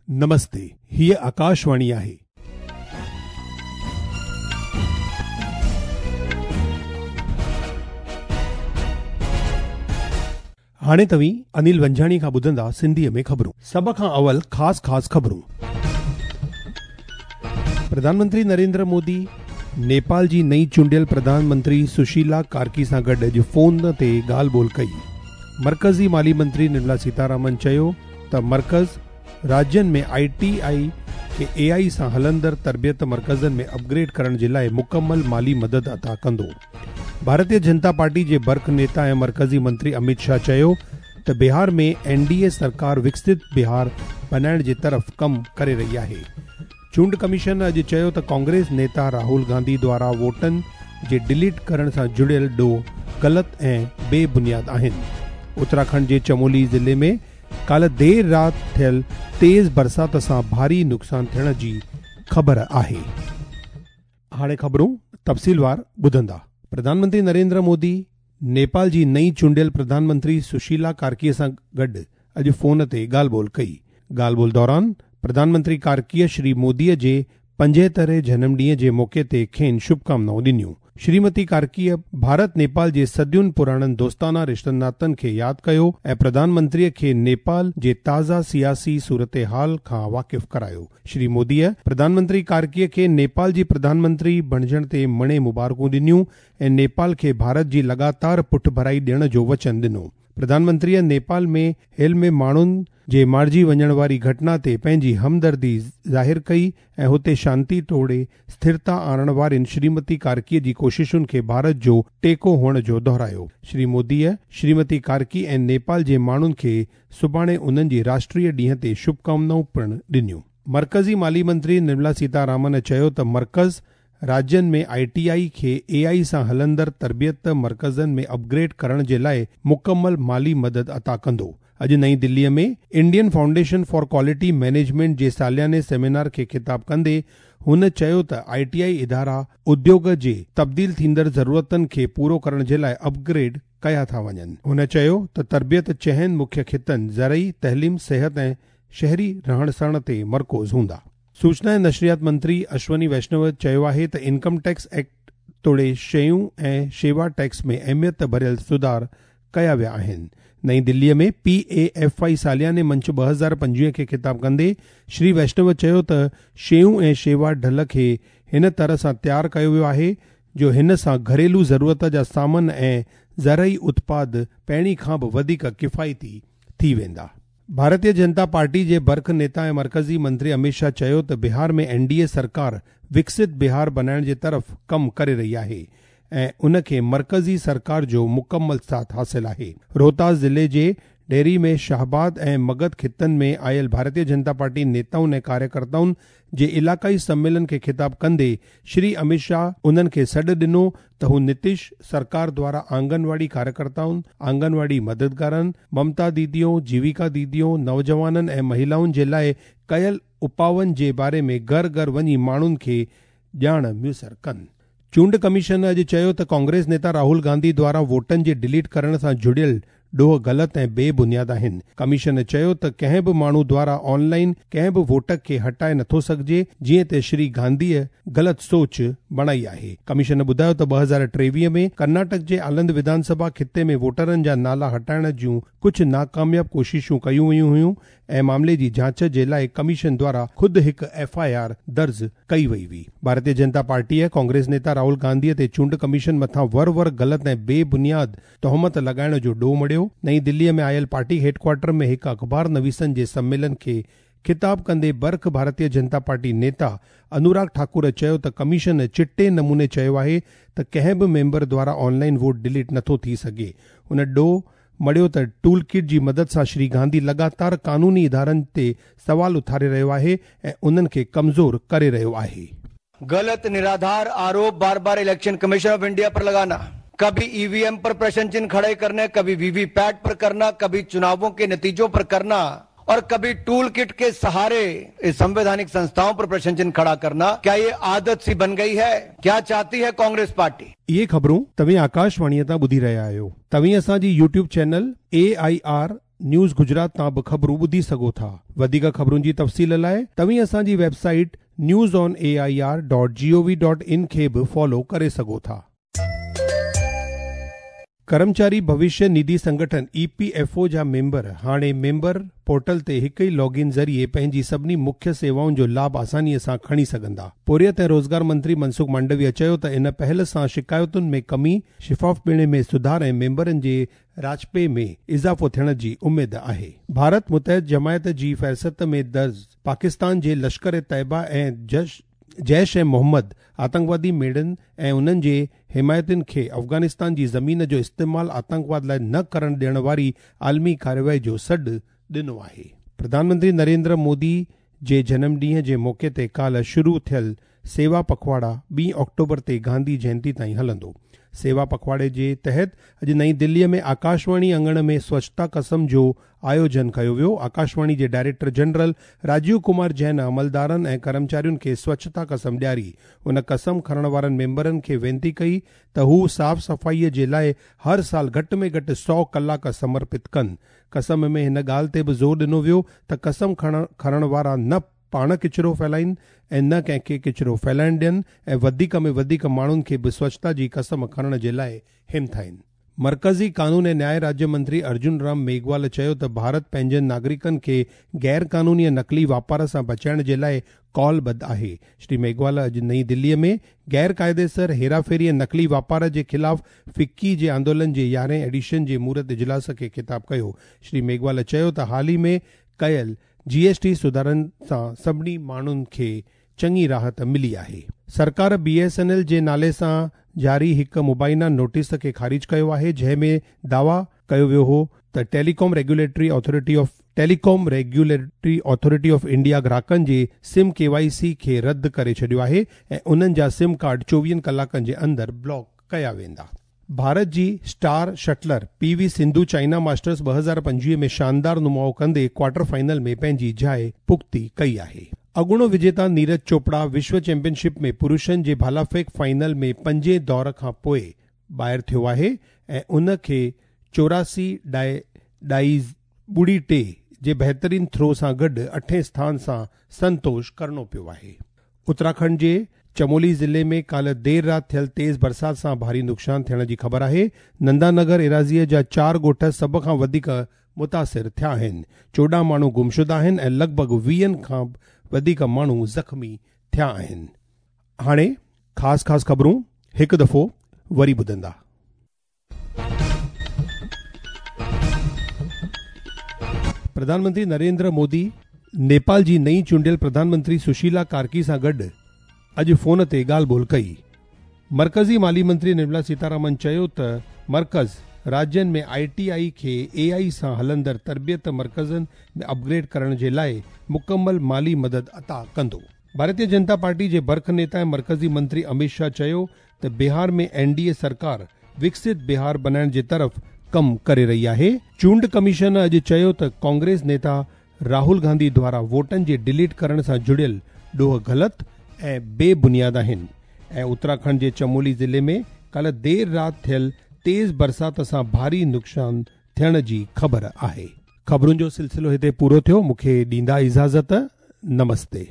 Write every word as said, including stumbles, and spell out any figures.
नमस्ते, हीअ आकाशवाणी आहे। हाणे तव्हीं अनिल वंजाणी खां ॿुधंदा सिंधीअ में ख़बरूं। सभ खां अवल ख़ासि ख़ासि ख़बरूं। प्रधानमंत्री नरेंद्र मोदी नेपाल जी नई चूंडियल प्रधानमंत्री सुशीला कार्की सां गॾु अॼु फ़ोन ते ॻाल्हि ॿोल कई। मर्कज़ी माली मंत्री निर्मला सीतारामन चयो त मर्कज़ राज्यनि में I T I खे ए आई सां हलंदड़ तरबियत मर्कज़नि में अपग्रेड करण जे लाइ मुकमल माली मदद अता कंदो। भारतीय जनता पार्टी जे बर्ख नेता ऐं मर्कज़ी मंत्री अमित शाह चयो त बिहार में एन डी ए सरकार विकसित बिहार बनाइण जे तरफ़ कमु करे रही आहे। चूंड कमीशन अॼु चयो त कांग्रेस नेता राहुल गांधी द्वारा वोटनि जे डिलीट करण सां जुड़ियल ॾोह ग़लति ऐं बेबुनियाद आहिनि। उत्तराखंड जे चमोली ज़िले में काल्ह देरि राति थियल तेज़ बरसाति सां भारी नुक़सानु थियण जी ख़बर आहे। हाणे ख़बरूं तफ़सीलवार ॿुधंदा। प्रधानमंत्री नरेंद्र मोदी नेपाल जी नई चूंडियल प्रधानमंत्री सुशीला कार्कीअ सां गॾु अॼु फ़ोन ते ॻाल्हि ॿोल कई। ॻाल्हि ॿोल दौरान प्रधानमंत्री कार्कीअ श्री मोदीअ जे पंजेहतरें जनम ॾींहं जे मौक़े ते खेनि शुभकामनाऊं ॾिनियूं। श्रीमती कार्कीअ भारत नेपाल जे सदियुनि पुराणनि दोस्ताना रिश्तनि नातनि खे यादि कयो ऐं प्रधानमंत्रीअ खे नेपाल जे ताज़ा सियासी सूरत हाल खां वाक़िफ़ करायो। श्री मोदीअ प्रधानमंत्री कार्कीअ खे नेपाल जी प्रधानमंत्री बणिजण ते मणे मुबारकूं ॾिनियूं ऐं नेपाल खे भारत जी लगातार पुठभराई ॾियण जो वचन ॾिनो। प्रधानमंत्रीअ नेपाल में हेल में माण्हुनि जे मारिजी वञण वारी घटना ते पंहिंजी हमदर्दी ज़ाहिर कई ऐं हुते शांति तोड़े स्थिरता आणण वारियुनि श्रीमती कार्कीअ जी कोशिशुनि खे भारत जो टेको हुअण जो दोहरायो। श्री मोदीअ श्रीमती कार्की ऐं नेपाल जे माण्हुनि खे सुभाणे उन्हनि जी राष्ट्रीय ॾींहं ते शुभकामनाऊं पिणु ॾिनियूं। मर्कज़ी माली मंत्री निर्मला सीतारामन चयो त मर्कज़ राज्यनि में I T I खे ए आई सां हलंदड़ तरबियत मर्कज़नि में अपग्रेड करण जे लाइ मुकमल माली मदद अता कंदो। अॼु नई दिल्लीअ में Indian foundation for quality management J सालियाने seminar खे ख़िताब कंदे हुन चयो त I T I इदारा उद्योग जे तब्दील थींदड़ ज़रूरतनि खे पूरो करण जे लाइ अपग्रेड कया था वञनि। हुन चयो त तरबियत चहनि मुख्य ख़ितनि ज़रई, तइलीम, सिहत ऐं शहरी रहण सहण ते मरकूज़ हूंदा। सूचना ऐं नशरियात मंत्री अश्वनी वैष्णव चयो आहे त इनकम टैक्स एक्ट तोड़े शयूं ऐं शेवा टैक्स में अहमियत भरियल सुधार कया विया आहिनि। नई दिल्लीअ में पी ए एफ I सालियाने मंच ॿ हज़ार पंजवीह खे ख़िताब कंदे श्री वैष्णव चयो त शयूं ऐं शेवा ढल खे हिन तरह सां तयारु कयो वियो आहे जो हिन सां घरेलू ज़रूरत जा सामान ऐं ज़रई उत्पाद पहिरीं खां बि वधीक किफ़ायती थी वेंदा। भारतीय जनता पार्टी जे बर्ख नेता ऐं मर्कज़ी मंत्री अमित शाह चयो त बिहार में एन डी ए सरकार विकसित बिहार बनाइण जे तरफ़ कमु करे रही आहे ऐं उन खे मर्कज़ी सरकार जो मुकमल साथ हासिल आहे। रोहतास ज़िले जे डेरी में शाहबाद ऐं मगध ख़ितनि में आयल भारतीय जनता पार्टी नेताउनि ऐं कार्यकर्ताउनि जे इलाक़ाई सम्मेलन खे ख़िताब कंदे श्री अमित शाह उन्हनि खे सॾु ॾिनो त हू नीतीश सरकार द्वारा आंगनवाड़ी कार्यकर्ताउनि, आंगनवाड़ी मददगारनि, ममता दीदियों, जीविका दीदियों, नौजवाननि ऐं महिलाउनि जे लाइ कयल उपाउनि जे बारे में घर घर वञी माण्हुनि खे ॼाण मुयसर कनि। चूंड कमीशन अॼु चयो त कांग्रेस नेता राहुल गांधी द्वारा वोटनि जे डिलीट करण सां जुड़ियल ॾोह ग़लति ऐं बेबुनियाद आहिनि। कमीशन चयो त कंहिं बि माण्हू द्वारा ऑनलाइन कंहिं बि वोट खे हटाए नथो सघिजे, जीअं त श्री गांधीअ ग़लति सोच बणाई आहे। कमीशन ॿुधायो त ॿ हज़ार टेवीह में कर्नाटक जे आलंद विधानसभा ख़िते में वोटरनि जा नाला हटाइण जूं कुझु नाकामयाब कोशिशूं कयूं वयूं हुयूं ऐं मामले जी जांच जे लाइ कमीशन द्वारा ख़ुदि हिकु एफ I R दर्ज कई वई हुई। भारतीय जनता पार्टीअ कांग्रेस नेता राहुल गांधीअ ते चूंड कमीशन मथां वर वर ग़लति ऐं बेबुनियाद तोहमत लॻाइण जो ॾोह मढ़ियो। नई दिल्लीअ में आयल पार्टी हेडक्वार्टर में हिकु अख़बार नवीसनि जे सम्मेलन खे ख़िताब कंदे बर्ख भारतीय जनता पार्टी नेता अनुराग ठाकुर चयो त कमीशन चिटे नमूने चयो आहे त कंहिं बि मेंबर द्वारा ऑनलाइन वोट डिलीट नथो थी सघे। हुन ॾोह मढ़ियो त टूल किट जी मदद सां श्री गांधी लगातार कानूनी इदारनि ते सवाल उथारे रहियो आहे ऐं उन्हनि खे कमज़ोर करे रहियो आहे। गलत निराधार आरोप बार बार इलेक्शन कमीशन ऑफ इंडिया पर लगाना, कभी ईवीएम पर प्रश्न चिन्ह खड़े करने, कभी वीवीपैट पर करना, कभी चुनावों के नतीजों पर करना और कभी टूल किट के सहारे संवैधानिक संस्थाओं पर प्रश्न चिन्ह खड़ा करना, क्या ये आदत सी बन गई है? क्या चाहती है कांग्रेस पार्टी? इहे ख़बरूं तव्हीं आकाशवाणीअ तां ॿुधी रहिया आहियो। तव्हीं असांजी YouTube channel A I R news Gujarat तां बि ख़बरूं ॿुधी सघो था। वधीक ख़बरुनि जी तफ़सील लाइ तव्हीं असांजी website news on A I R dot G O V dot in खे बि फॉलो करे सघो था। कर्मचारी भविष्य निधि संगठन ई पी एफ ओ जा मेंबर हाणे मेंबर पोर्टल ते हिकु ई लॉगिन ज़रिए पंहिंजी सभिनी मुख्य सेवाउनि जो लाभ आसानीअ सां खणी सघंदा। पोरियत ऐं रोज़गार मंत्री मनसुख मांडविया चयो त इन पहल सां शिकायतुनि में कमी, शफ़ाफ़ में सुधार ऐं मेंबरनि जे राजपे में इज़ाफ़ो थियण जी उमेद आहे। भारत मुतहद जमायत जी फ़हरिस्त में दर्ज पाकिस्तान जे लश्कर तैयबा ऐं जश जैश ए मोहम्मद आतंकवादी मेड़नि ऐं उन्हनि जे हिमायतियुनि खे अफ़गानिस्तान जी ज़मीन जो इस्तेमाल आतंकवाद लाइ न करण ॾियण वारी आलमी कार्रवाई जो सॾु ॾिनो आहे। प्रधानमंत्री नरेंद्र मोदी जे जनम ॾींहं जे मौक़े ते काल्ह शुरू थियल सेवा पखवाड़ा ॿी अक्टूबर ते गांधी जयंती ताईं हलंदो। सेवा पखवाड़े जे तहत अॼु नई दिल्लीअ में आकाशवाणी अंगण में स्वच्छता कसम जो आयोजन कयो वियो। आकाशवाणी जे डायरेक्टर जनरल राजीव कुमार जैन अमलदारनि ऐं कर्मचारियुनि खे स्वच्छता कसम ॾियारी। उन कसम खणण वारनि मेंबरनि खे वेनती कई त हू साफ़ सफ़ाईअ जे लाइ हर साल घटि में घटि सौ कलाक समर्पित कनि। कसम में हिन ॻाल्हि ते बि ज़ोर ॾिनो वियो त कसम खणण खणण वारा न पाण कचरो फैलाइनि ऐं न कंहिंखे कचरो फैलाइण ॾियनि ऐं वधीक में वधीक माण्हुनि खे बि स्वच्छता जी कसम खणण जे लाइ हिमथाइनि। मर्कज़ी कानून ऐं न्याय राज्य मंत्री अर्जुन राम मेघवाल चयो त भारत पंहिंजनि नागरिकनि खे गैर कानूनी ऐं नक़ली वापार सां बचाइण जे लाइ कॉलबद्ध आहे। श्री मेघवाल अॼु नई दिल्लीअ में गैर कायदेसर हेराफेरी ऐं नक़ली वापार जे ख़िलाफ़ फिक्की जे आंदोलन जे यारहें एडिशन जे मूरत इजलास खे ख़िताब कयो। श्री मेघवाल चयो त हाल ई में कयल जी एस टी सुधारनि सां सभिनी माण्हुनि खे चङी राहत मिली आहे। सरकार बी एस एन एल जे नाले सां जारी हिकु मुबाइना नोटिस खे ख़ारिज कयो आहे, जंहिं में दावा कयो वियो हो त telecom regulatory authority of telecom regulatory authority of India ग्राहकनि जे सिम के वाई सी खे रद्द करे छॾियो आहे ऐं उन्हनि जा सिम कार्ड चोवीहनि कलाकनि जे अंदरि ब्लॉक कया वेंदा। भारत जी star shuttler P V Sindhu China Masters ॿ हज़ार पंजवीह में शानदार नुमाओ कंदे क्वार्टर फाइनल में पंहिंजी जाइ पुख़्ती कई आहे। अॻूणो विजेता नीरज चोपड़ा विश्व चैंपियनशिप में पुरुषनि जे भालाफेक फाइनल में पंजे दौर खां पोइ ॿाहिरि थियो आहे ऐं उन खे चौरासी ॾाए ॾाई ॿुड़ी टे जे बहितरीन थ्रो सां गॾु अठें स्थान सां संतोष करिणो पियो आहे। उत्तराखंड जे चमोली ज़िले में काल्ह देरि राति थियल तेज़ बरसाति सां भारी नुक़सानु थियण जी ख़बर आहे। नंदानगर एराज़ीअ जा चारि ॻोठ सभ खां वधीक मुतासिर थिया आहिनि। चोॾहं माण्हू गुमशुदा आहिनि ऐं लॻभॻि वीहनि खां वधीक माण्हू ज़ख़्मी थिया आहिनि। हाणे ख़ासि ख़ासि ख़बरूं हिकु दफ़ो वरी ॿुधंदा। प्रधानमंत्री नरेंद्र मोदी नेपाल जी नई चूंडियल प्रधानमंत्री सुशीला कार्की सां गॾु अॼु फ़ोन ते ॻाल्हि ॿोल कई। मर्कज़ी माली मंत्री निर्मला सीतारामन चयो त मर्कज़ राज्यनि में I T I खे ए आई सां हलंदड़ तरबियत मर्कज़नि में अपग्रेड करण जे लाइ मुकमल माली मदद अता कंदो। भारतीय जनता पार्टी जे बर्ख नेता ऐं मर्कज़ी मंत्री अमित शाह चयो त बिहार में एन डी ए सरकार विकसित बिहार बनाइण जे तरफ़ कमु करे रही आहे। चूंड कमीशन अॼु चयो त कांग्रेस नेता राहुल गांधी द्वारा वोटनि जे डिलीट करण सां जुड़ियल ॾोह ग़लति ऐं बेबुनियाद आहिनि। ऐं उत्तराखंड जे चमोली ज़िले में काल्ह देरि राति थियल तेज़ बरसाति सां भारी नुक़सानु थियण जी ख़बर आहे। ख़बरुनि जो सिलसिलो हिते पूरो थियो। मूंखे ॾींदा इजाज़त। नमस्ते।